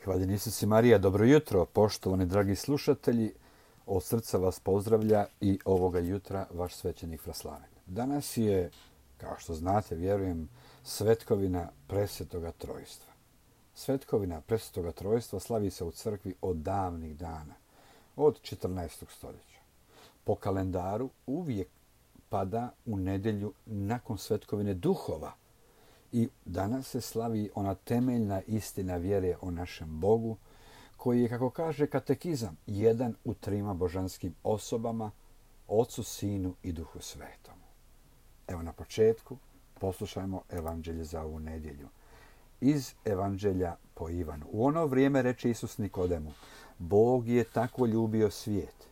Hvala Isus i Marija, dobro jutro, poštovani dragi slušatelji. Od srca vas pozdravlja i ovoga jutra vaš svećenik Fraslaven. Danas je, kao što znate, vjerujem, svetkovina Presvetoga Trojstva. Svetkovina Presvetoga Trojstva slavi se u crkvi od davnih dana, od 14. stoljeća. Po kalendaru uvijek pada u nedjelju nakon svetkovine duhova. I danas se slavi ona temeljna istina vjere o našem Bogu, koji je, kako kaže katekizam, jedan u trima božanskim osobama, Ocu, Sinu i Duhu Svetom. Evo na početku poslušajmo evanđelje za ovu nedjelju. Iz evanđelja po Ivanu. U ono vrijeme reče Isus Nikodemu: Bog je tako ljubio svijet,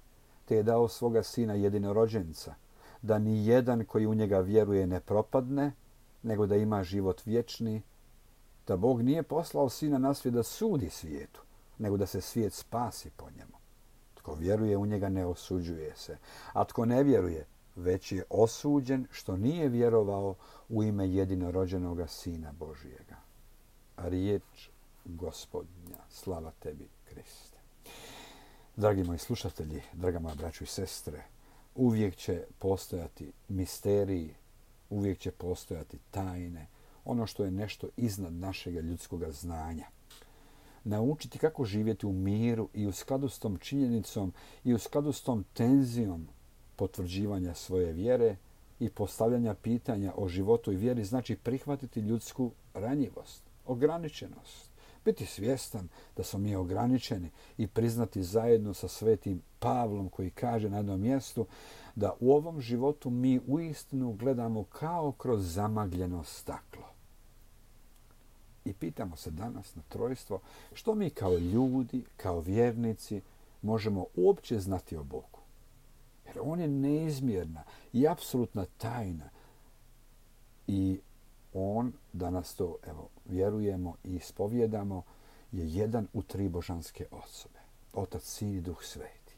te je dao svoga Sina jedinorođenca, da ni jedan koji u njega vjeruje ne propadne, nego da ima život vječni, da Bog nije poslao Sina na svijet da sudi svijetu, nego da se svijet spasi po njemu. Tko vjeruje u njega ne osuđuje se, a tko ne vjeruje već je osuđen što nije vjerovao u ime jedinorođenoga Sina Božijega. Riječ Gospodnja, slava tebi, Kriste. Dragi moji slušatelji, draga moja braćo i sestre, uvijek će postojati misteriji, uvijek će postojati tajne, ono što je nešto iznad našega ljudskoga znanja. Naučiti kako živjeti u miru i u skladu s tom činjenicom i u skladu s tom tenzijom potvrđivanja svoje vjere i postavljanja pitanja o životu i vjeri znači prihvatiti ljudsku ranjivost, ograničenost. Biti svjestan da smo mi ograničeni i priznati zajedno sa svetim Pavlom koji kaže na jednom mjestu da u ovom životu mi uistinu gledamo kao kroz zamagljeno staklo. I pitamo se danas na trojstvo što mi kao ljudi, kao vjernici možemo uopće znati o Bogu. Jer on je neizmjerna i apsolutna tajna. I on, danas to vjerujemo i ispovjedamo, je jedan u tri božanske osobe. Otac, Sin i Duh Sveti.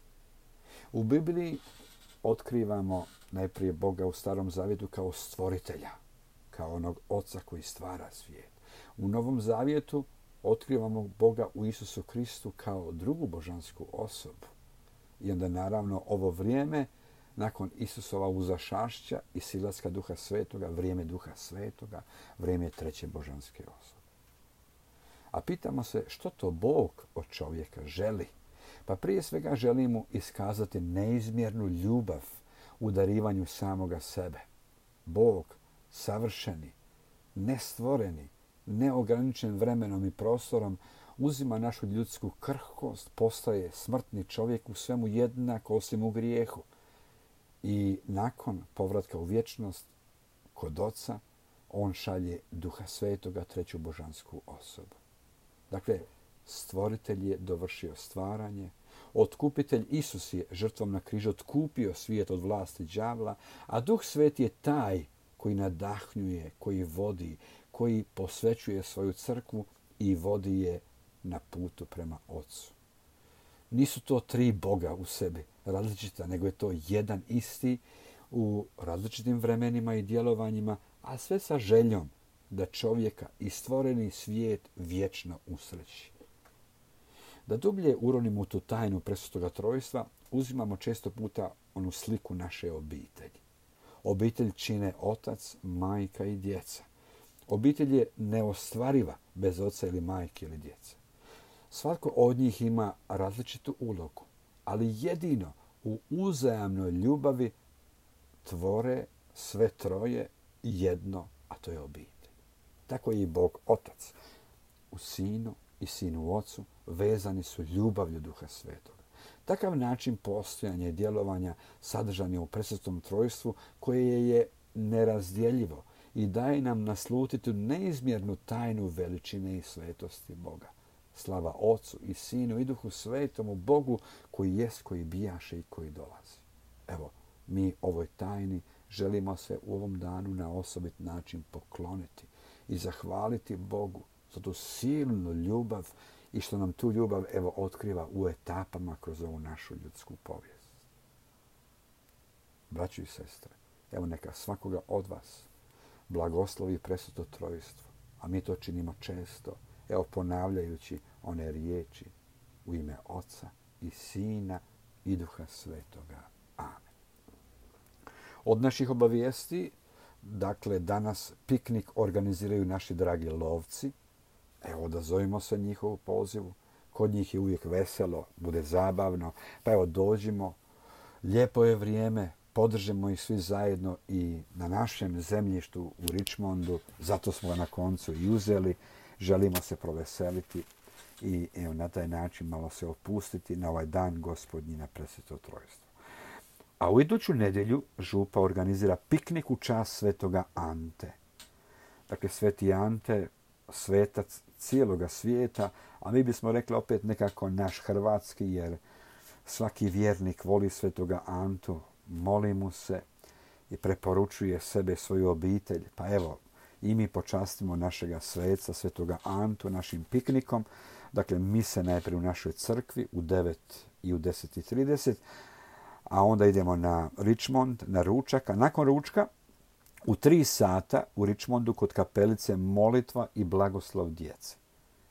U Bibliji otkrivamo najprije Boga u Starom Zavjetu kao stvoritelja, kao onog Oca koji stvara svijet. U Novom Zavjetu otkrivamo Boga u Isusu Kristu kao drugu božansku osobu. I onda naravno ovo vrijeme nakon Isusova uzašašća i silaska Duha Svetoga, vrijeme Duha Svetoga, vrijeme treće božanske osobe. A pitamo se što to Bog od čovjeka želi? Pa prije svega želi mu iskazati neizmjernu ljubav u darivanju samoga sebe. Bog, savršeni, nestvoreni, neograničen vremenom i prostorom, uzima našu ljudsku krhkost, postaje smrtni čovjek u svemu jednak osim u grijehu. I nakon povratka u vječnost kod Oca, on šalje Duha Svetoga, treću božansku osobu. Dakle, stvoritelj je dovršio stvaranje, otkupitelj Isus je žrtvom na križu otkupio svijet od vlasti đavla, a Duh Sveti je taj koji nadahnjuje, koji vodi, koji posvećuje svoju crkvu i vodi je na putu prema Ocu. Nisu to tri Boga u sebi različita, nego je to jedan isti u različitim vremenima i djelovanjima, a sve sa željom da čovjeka i stvoreni svijet vječno usreći. Da dublje uronimo u tu tajnu Presvetoga Trojstva, uzimamo često puta onu sliku naše obitelji. Obitelj čine otac, majka i djeca. Obitelj je neostvariva bez oca ili majke ili djece. Svatko od njih ima različitu ulogu, ali jedino u uzajamnoj ljubavi tvore sve troje jedno, a to je obitelj. Tako je i Bog Otac. U Sinu i Sinu u Ocu vezani su ljubavlju Duha Svetoga. Takav način postojanja i djelovanja sadržan je u Presvetom Trojstvu koje je nerazdjeljivo i daje nam naslutiti neizmjernu tajnu veličine i svetosti Boga. Slava Ocu i Sinu i Duhu Svetomu, Bogu koji jest, koji bijaše i koji dolazi. Evo, mi ovoj tajni želimo se u ovom danu na osobit način pokloniti i zahvaliti Bogu za tu silnu ljubav i što nam tu ljubav otkriva u etapama kroz ovu našu ljudsku povijest. Braćo i sestre, evo neka svakoga od vas blagoslovi Presveto Trojstvo, a mi to činimo često, ponavljajući one riječi u ime Oca i Sina i Duha Svetoga. Amen. Od naših obavijesti, dakle, danas piknik organiziraju naši dragi lovci. Evo, odazovimo se njihovu pozivu. Kod njih je uvijek veselo, bude zabavno. Pa evo, dođimo, lijepo je vrijeme, podržimo ih svi zajedno i na našem zemljištu u Richmondu. Zato smo ga na koncu i uzeli. Želimo se proveseliti i evo, na taj način malo se opustiti na ovaj dan Gospodnji na Presveto Trojstvo. A u iduću nedjelju župa organizira piknik u čast svetoga Ante. Dakle, sveti Ante, svetac cijeloga svijeta, a mi bismo rekli opet nekako naš hrvatski, jer svaki vjernik voli svetoga Antu, moli mu se i preporučuje sebe, svoju obitelj. Pa evo, i mi počastimo našega sveca, svetoga Antu, našim piknikom. Dakle, mise najprije u našoj crkvi u 9 i u 10:30, a onda idemo na Richmond, na ručak. A nakon ručka, u 3 sata u Richmondu kod kapelice molitva i blagoslov djece.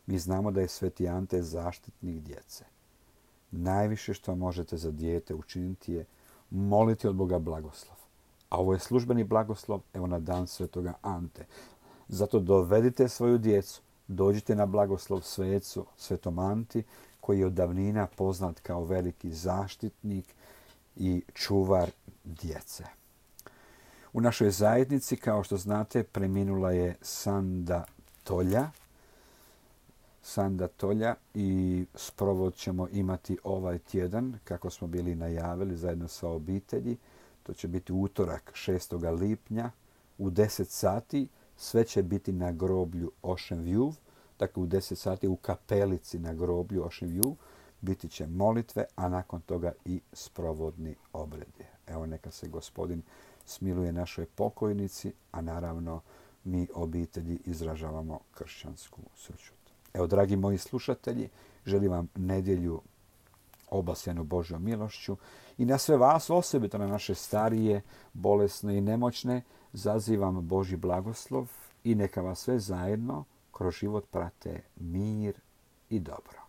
Mi znamo da je sveti Ante zaštitnik djece. Najviše što možete za dijete učiniti je moliti od Boga blagoslov. A ovo je službeni blagoslov, evo na dan svetoga Ante. Zato dovedite svoju djecu, dođite na blagoslov svecu, svetom Anti, koji je od davnina poznat kao veliki zaštitnik i čuvar djece. U našoj zajednici, kao što znate, preminula je Sanda Tolja i sprovod ćemo imati ovaj tjedan, kako smo bili najavili, zajedno sa obitelji. To će biti utorak 6. lipnja u 10 sati. Sve će biti na groblju Ocean View, dakle u 10 sati u kapelici na groblju Ocean View. Biti će molitve, a nakon toga i sprovodni obredi. Evo, neka se Gospodin smiluje našoj pokojnici, a naravno mi obitelji izražavamo kršćansku sućut. Evo, dragi moji slušatelji, želim vam nedjelju obasjanu Božjom milošću i na sve vas, osobito na naše starije, bolesne i nemoćne, zazivam Božji blagoslov i neka vas sve zajedno kroz život prate mir i dobro.